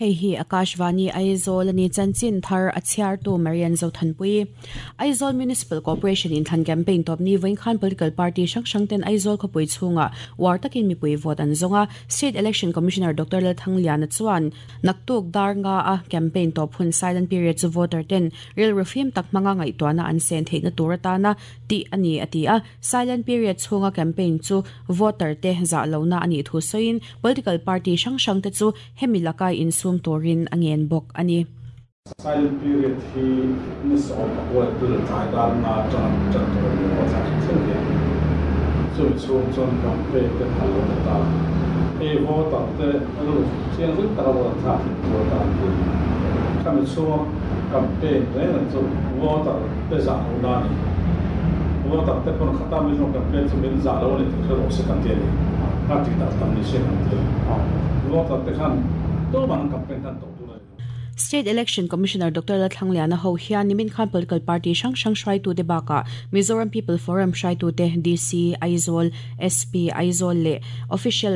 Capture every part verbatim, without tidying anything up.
Hei hi Akashvani Aizawl ani chanchin thar a chhiartu Marian Zothanpui. Aizawl Municipal Corporation in thlan campaign top ni vawiin khan political party hrang hrang ten Aizawl khawpui chhunga war takin mipui vote an zawnga. State Election Commissioner Doctor Lalthangliana chuan naktuk dar nga a campaign top hun silent period chu voter ten rilru fim tak hmanga ngaihtuahna an sen theihna tur atana tih ani a ti a. Silent period chhunga campaign chu voter te zah lohna ani thu sawiin political party hrang hrang te chu hemi laka insum turin a ngen bawk ani. Silent period hi ni sawm pakua tul tlai dar nga tang tan tur ni wa cha thil hian chu chung chuan campaign te phal lo ta hei voter te ru chiang zui taka vote thlak thin tur ta an ti khami chhung campaign reng an chu voter te zah lo na ni voter te pawn khata mi zawng campaign chu min zah lo ani tih hre rawh se kan ti ani a ti dah tam ni se kan ti voter te khan State Election Commissioner Doctor Lalthangliana ho hian nimin khan political party hrang hrang hruaitu te bakah Mizoram People Forum hruaitu te D C Aizawl, S P Aizawl leh official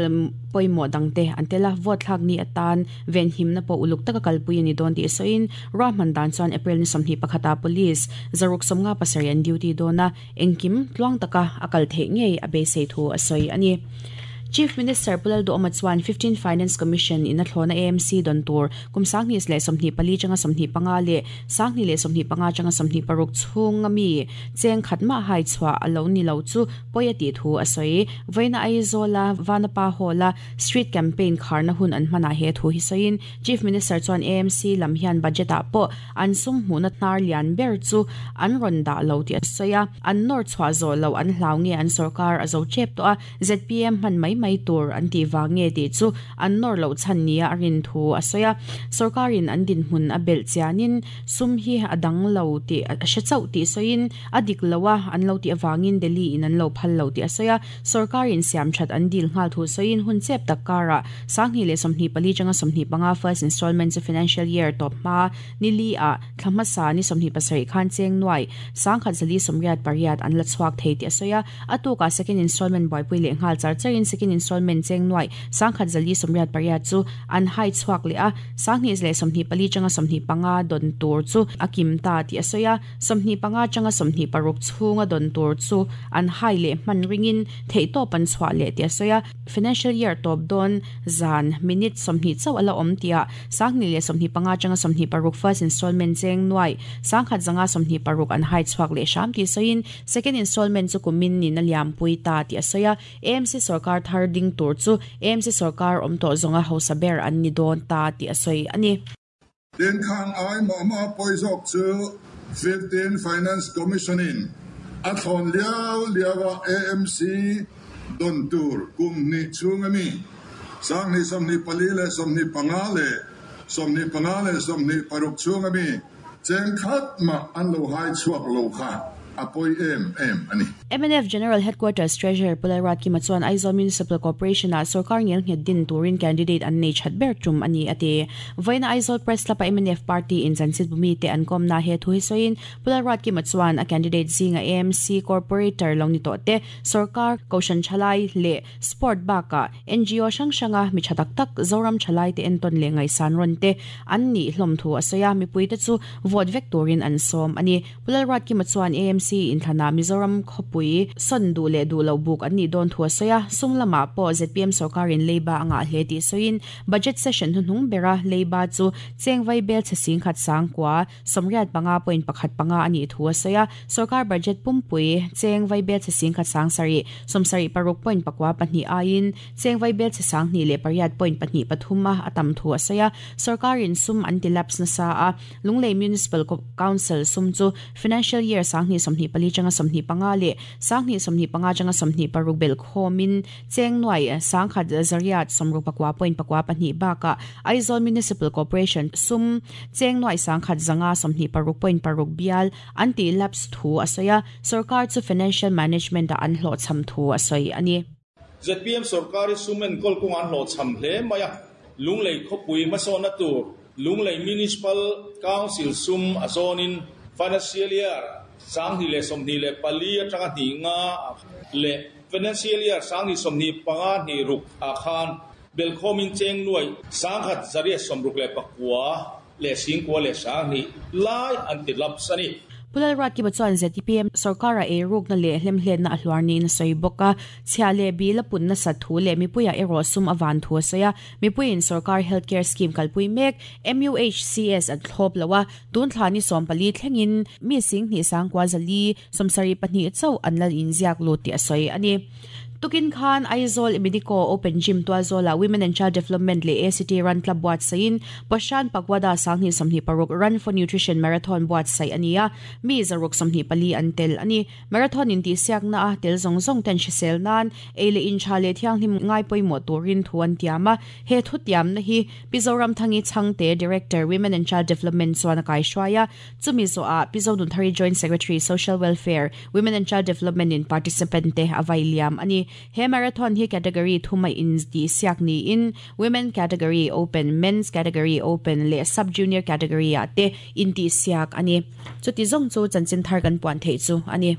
pawimawh dangte an tel a. Vote thlak ni atan venhimna pawh uluk taka kalpui ani dawn tih sawiin ruahman dan chuan April ni sawmhnih pakhata police zaruk sawmnga pasarih an duty dawna engkim tluang taka a kal theih ngei a beisei thu a sawi ani. Chief Minister Pulal Duhoma chuan fifteen Finance Commission in a thlawna A M C don tur kum sanghnih leh sawmhnih pali changa sawmhnih panga leh sanghnih leh sawmhnih panga changa sawmhnih paruk chhunga mi cheng khatma hai chhuah a lo ni lo chu pawi a tih thu a sawi. Vawiina Aizawla Vanapa Hall-a street campaign kharna hun an hmanah he thu hi sawiin Chief Minister chuan A M C lam hian budget ah pawh an sum hmuhna hnar lian ber chu an rawn dah lo tih a sawi a. An nawr chhuah zawh lo an hlau nge an sarkar a zo chep tawh a Z P M hman mai mai tur an ti wang nge ti chu an nor lo chan nia a rin thu a sawi a. Sarkarin an din hmun a bel chianin sum hi a dang lo ti a hre chauh tih sawiin a dik loa an lo ti awangin Delhi in an lo phal lo ti a sawi a. Sarkarin siam that an dil nghal thu sawiin hun chep tak kara sanghnih leh sawmhnih pali changa sawmhnih panga first installment chu financial year top hma nili a thlamasa ni sawmhnih pasarih khan cheng nuai sangkhat zali sawmriat pariat an la chhuak thei ti a sawi a. A tuka second installment buaipui leh nghal char charin second installment cheng nuai sangkhat zali sawmriat pariat chu an hai chhuak leh a. Sanghnih leh sawmhnih pali changa sawmhnih panga don tur chu a kim ta ti a sawi a. Sawmhnih panga changa sawmhnih paruk chhunga don tur chu an hai leh hman ringin theihtawp an chhuah leh ti a sawi a. Financial year top dawn zan minute sawmhnih chauh a la awm tia sanghnih leh sawmhnih panga changa sawmhnih paruk first installment cheng nuai sangkhat zanga sawmhnih paruk an hai chhuak leh hram ti sawiin second installment chu kumin nin a liampui ta ti a sawi a. A M C sarkar thar ding tur chu A M C sarkar awm tawh zawnga hausa ber an ni dawn ta ti a sawi ani. Tin khan ai ma ma pawizawk chu fifteen Finance Commission in a thlawn liau liawa A M C don tur kum ni chhung ami sanghnih sawmhnih pali leh sawmhnih panga leh sawmhnih panga leh sawmhnih paruk chhung ami cheng khat ma an lo hai chhuak lo kha a pawi em em ani. M N F General Headquarters Treasurer Pulal Kima chuan Aizawl Municipal Corporation a sarkar ngel nghet din turin candidate an nei that ber tum ani ate. Vawiina Aizawl Press Club a M N F party in chanchit bumi te an kom na he thu hi sawiin Pulal Kima chuan a candidate zinga A M C corporator lo ni to te sarkar koshan chalai le sport baka N G O hrang hranga mi thatak tak Zoram chalai te enton le ngai san ron te an ni hlom thu a sawi a. Mipui te chu vote vek turin an som ani. Pulal Kima chuan A M C in thana Mizoram khawpui son du le du lo buk an ni dawn thu a sawi a. Sum lama pawh Z P M sarkarin leiba anga hle tih sawiin budget session hnuhnung bera leiba chu chengvai bel che sing khat sangkua sawmriat panga point pakhat panga ani thu a sawi a. Sarkar budget pumpui chengvai bel che sing khat sang sari sawmsarih paruk point pakua pahnih aiin chengvai bel che sanghnih leh pariat point pahnih pathum a atam thu a sawi a. Sarkarin sum an ti lapse nasa a. Lunglei Municipal Council sum chu financial year sanghnih sawmhnih pali changa sawmhnih panga leh sanghnih sawmhnih panga changa sawmhnih paruk bel khomin cheng nuai sangkhat zariat sawmruk pakua point pakua pahnih baka Aizawl Municipal Corporation sum cheng nuai sangkhat zanga sawmhnih paruk point paruk bial an ti lapse thu a sawi a. Sarkar chu financial management a an hlawh cham thu a sawi ani. Z P M sarkari sumen kol kung an hlawh cham hle mai a. Lunglei khawpui hmasawnna tur Lunglei Municipal Council sum a zawnin financial year sanghnih leh sawmhnih leh pali atanga hnih nga leh financial year sanghnih sawmhnih panga hnih ruk a khan Belkhomin cheng nuai sangkhat zaria somruk le pakwa le singkwa le sang ni lai an ti lap sani. Pulal rat ki bachuan Z P M sarkara e ruk na le hlem hlen na ahlwar ni na soi boka chhia le bi la pun na sa thu le mi puya ero sum awan thu saya mi puin sarkar healthcare scheme kalpui mek M U H C S at thlop lawa tun thlani som pali thlengin mi sing ni sang kwa zali somsari pahnih chau anlal in ziak lo ti asoi ani. Tukin Khan Aizawl Medico Open Gym Tuazola Women and Child Development le A C T Run Club buat sain Pashan Pagwada sangni samni paruk Run for Nutrition Marathon buat sai ania mi zaruk samni pali antel ani marathon in ti siak na a tel zong zong ten shisel nan ele in chale thiang him ngai poimo turin thuan tiama he thu tiam na hi Mizoram Thangi Changte Director Women and Child Development chuan kai shwaya chumi zo a Pizodun Thari Joint Secretary Social Welfare Women and Child Development in participant te availiam ani. He marathon hi category thumai in di siak ni in women category open, men's category open le sub junior category ate in ti siak ani. Chuti zong chu chanchin thar kan puan thei chu ani.